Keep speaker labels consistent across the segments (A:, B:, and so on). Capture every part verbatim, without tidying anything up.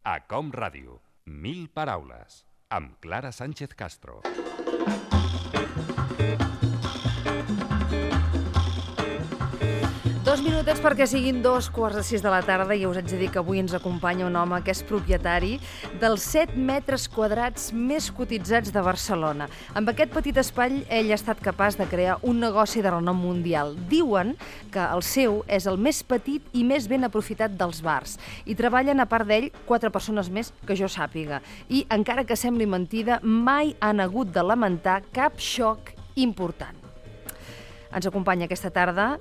A: A Com Ràdio, mil paraules, amb Clara Sánchez Castro.
B: Dos minutets perquè siguin dos quarts de sis de la tarda i us haig de dir que avui ens acompanya un home que és propietari dels set metres quadrats més cotitzats de Barcelona. Amb aquest petit espai ell ha estat capaç de crear un negoci de renom mundial. Diuen que el seu és el més petit i més ben aprofitat dels bars. I treballen, a part d'ell, quatre persones més que jo sàpiga. I, encara que sembli mentida, mai han hagut de lamentar cap xoc important. Ens acompanya aquesta tarda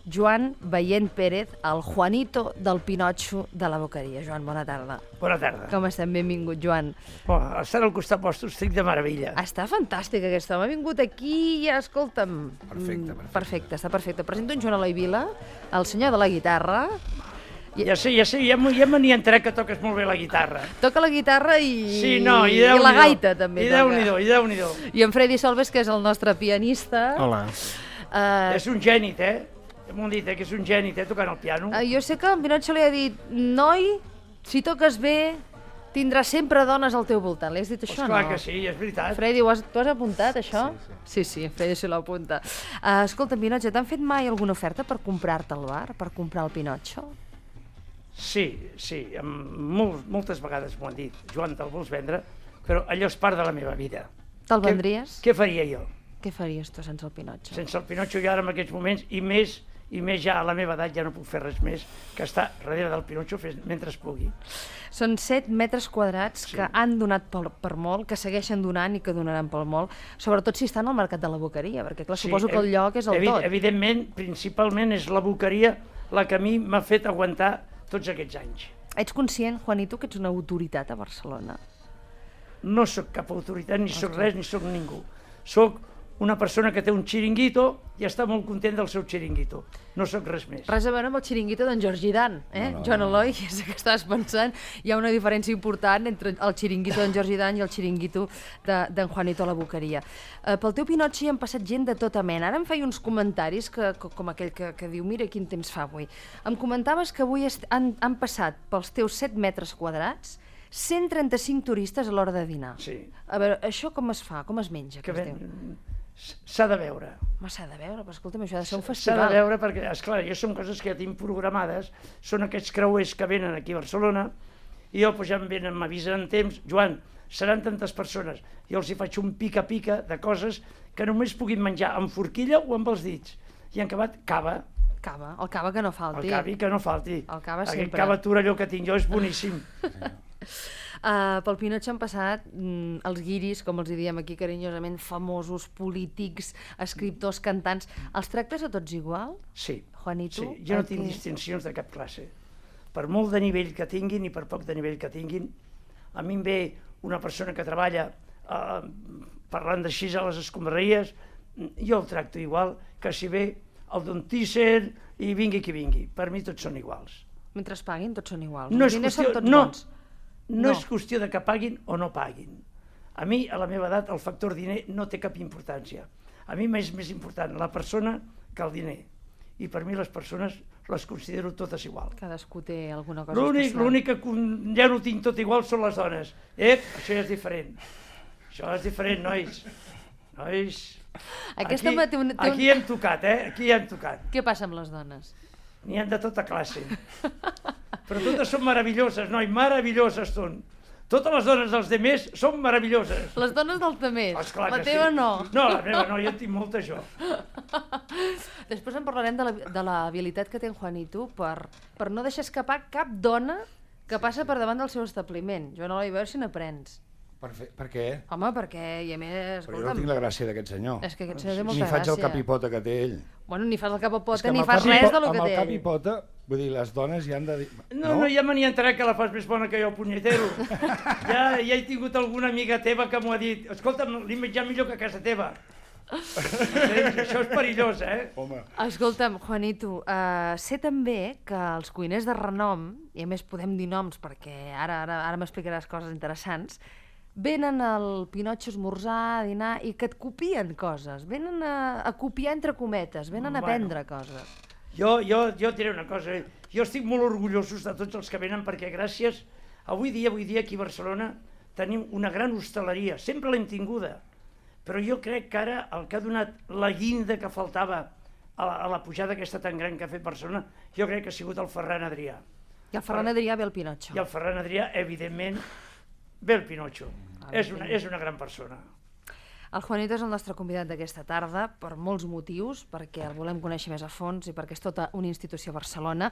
B: Joan Baient Pérez, el Juanito del Pinotxo de la Boqueria. Joan, bona tarda.
C: Bona tarda.
B: Com estem? Benvingut, Joan.
C: Oh, estar al costat vostre estic de meravella.
B: Està fantàstic aquest home. Ha vingut aquí i, escolta'm...
C: Perfecte, perfecte.
B: Perfecte, està perfecte. Presento en Joan Eloi Vila, el senyor de la guitarra.
C: I... Ja sé, ja sé, ja, ja me n'hi entraré que toques molt bé la guitarra.
B: Toca la guitarra i,
C: sí, no, i,
B: i la gaita també.
C: I Déu-n'hi-do, i Déu-n'hi-do.
B: I en Freddy Solves, que és el nostre pianista.
D: Hola.
B: Uh...
C: És un gènit, eh? M'ho han dit, eh, que és un gènit, eh, tocant el piano.
B: Uh, jo sé que en Pinotxo li ha dit, noi, si toques bé, tindràs sempre dones al teu voltant. Li has dit això,
C: pues
B: no?
C: Clar que sí, és veritat.
B: Freddy, ho has, tu has apuntat, això?
D: Sí, sí.
B: Sí, sí, Freddy se l'apunta. Uh, escolta, Pinotxo, t'han fet mai alguna oferta per comprar-te el bar, per comprar el Pinotxo?
C: Sí, sí, molt, moltes vegades m'ho han dit. Joan, te'l vols vendre? Però allò és part de la meva vida.
B: Te'l vendries?
C: Què faria jo?
B: Què faries tu sense el Pinotxo?
C: Sense el Pinotxo jo ara en aquests moments, i més... i més ja a la meva edat ja no puc fer res més que estar darrere del Pinotxo mentre es pugui.
B: Són set metres quadrats
C: sí.
B: que han donat per, per molt, que segueixen donant i que donaran pel molt, sobretot si estan al mercat de la Boqueria, perquè clar,
C: sí,
B: suposo que el lloc és el
C: evi
B: tot.
C: Evidentment, principalment és la Boqueria la que a mi m'ha fet aguantar tots aquests anys.
B: Ets conscient, Juanito, que ets una autoritat a Barcelona?
C: No sóc cap autoritat, ni sóc res, ni sóc ningú. Sóc una persona que té un xiringuito i està molt content del seu xiringuito. No sóc res més.
B: Res a veure amb el xiringuito d'en Jordi Dan, eh? No, no, Joan Eloi, no. És que estàs pensant. Hi ha una diferència important entre el xiringuito d'en Jordi Dan i el xiringuito d'en de, Juanito a la Boqueria. Uh, pel teu Pinotxo hi han passat gent de tota mena. Ara em feia uns comentaris, que, com aquell que, que diu, mira quin temps fa avui. Em comentaves que avui han, han passat pels teus set metres quadrats cent trenta-cinc turistes a l'hora de dinar.
C: Sí.
B: A veure, això com es fa? Com es menja?
C: Que
B: ben...
C: S'ha de veure.
B: Home, s'ha de veure, però escolta'm, això ha de ser un
C: S'ha
B: festival.
C: de veure perquè, esclar, jo són coses que ja tinc programades, són aquests creuers que venen aquí a Barcelona, i jo pues, ja em venen, m'avisen en temps, Joan, seran tantes persones, jo els hi faig un pica-pica de coses que només puguin menjar amb forquilla o amb els dits. I en acabat, cava.
B: Cava, el cava que no falti.
C: El cavi que no falti.
B: El cava
C: Aquest
B: sempre.
C: cava Torelló que tinc jo és boníssim.
B: Uh, pel Pinotxo han passat mm, els guiris, com els diem aquí carinyosament, famosos, polítics, escriptors, cantants. Els tractes a tots igual?
C: Sí,
B: Juanito?
C: sí. Jo no
B: que...
C: tinc distincions de cap classe. Per molt de nivell que tinguin i per poc de nivell que tinguin, a mi em ve una persona que treballa uh, parlant d'així a les escombraries, jo el tracto igual que si ve el Don Tícer i vingui qui vingui. Per mi tots són iguals.
B: Mentre es paguin, tots són iguals.
C: No
B: els
C: és
B: diners
C: qüestió,
B: són tots
C: no,
B: bons.
C: No, no és qüestió de que paguin o no paguin. A mi, a la meva edat, el factor diner no té cap importància. A mi m'és més important la persona que el diner. I per mi les persones les considero totes igual.
B: Cadascú té alguna cosa
C: L'únic,
B: especial.
C: l'únic que ja no tinc tot igual són les dones. Ep, això ja és diferent. Això és diferent, nois. Nois...
B: Aquesta
C: aquí,
B: té un, té un...
C: aquí hem tocat, eh? Aquí hem tocat.
B: Què passa amb les dones?
C: N'hi ha de tota classe. Però totes són meravelloses, noi, meravelloses són. Totes les dones dels demés són meravelloses.
B: Les dones dels demés?
C: Esclar
B: la
C: que
B: teva
C: sí.
B: no?
C: No, la meva no, jo en tinc molta jo.
B: Després en parlarem de la, de la habilitat que té en Juanito per, per no deixar escapar cap dona que passa per davant del seu establiment. Joan Eloi, a veure si n'aprens.
D: Per, fer, per què?
B: Home, perquè, i a més...
D: Però jo no tinc la gràcia d'aquest senyor.
B: És que aquest senyor té molta
D: Ni
B: gràcia.
D: faig el capipota que té ell.
B: Bueno, ni fas el capopota,
D: És que
B: ni
D: amb el
B: fas
D: capi-
B: res de lo que
D: Amb
B: té
D: el
B: ell.
D: capipota, vull dir, les dones ja han de dir...
C: No, no, ja me n'hi entraré que la fas més bona que jo, punyetero. Ja, ja he tingut alguna amiga teva que m'ho ha dit. Escolta'm, l'he menjat millor que a casa teva. Això és perillós, eh?
D: Home.
B: Escolta'm, Juanito, uh, sé també que els cuiners de renom, i a més podem dir noms perquè ara, ara, ara m'explicaràs coses interessants, venen al Pinotxo a esmorzar, a dinar, i que et copien coses. Venen a, a copiar entre cometes, venen a
C: Bueno.
B: aprendre coses.
C: Jo, jo, jo et diré una cosa, jo estic molt orgullosos de tots els que venen perquè gràcies Avui dia, avui dia aquí a Barcelona tenim una gran hostaleria, sempre l'hem tinguda, però jo crec que ara el que ha donat la guinda que faltava a la, a la pujada aquesta tan gran que ha fet Barcelona, jo crec que ha sigut el Ferran Adrià.
B: I el Ferran Adrià ve el Pinotxo.
C: I el Ferran Adrià, evidentment, ve el Pinotxo. És una, és una gran persona.
B: El Juanito és el nostre convidat d'aquesta tarda per molts motius, perquè el volem conèixer més a fons i perquè és tota una institució a Barcelona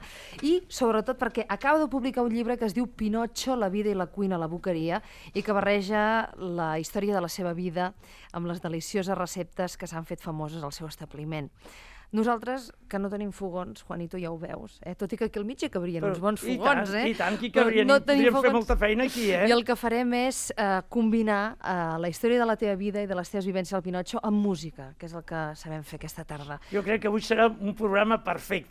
B: i sobretot perquè acaba de publicar un llibre que es diu Pinotxo, la vida i la cuina a la boqueria i que barreja la història de la seva vida amb les delicioses receptes que s'han fet famoses al seu establiment. Nosaltres, que no tenim fogons, Juanito, ja ho veus, eh? Tot i que aquí al mig hi cabrien uns bons fogons, eh?
C: I tant, i tant, que no podríem fer molta feina aquí, eh?
B: I el que farem és eh, combinar eh, la història de la teva vida i de les teves vivències al Pinotxo amb música, que és el que sabem fer aquesta tarda.
C: Jo crec que avui serà un programa perfecte.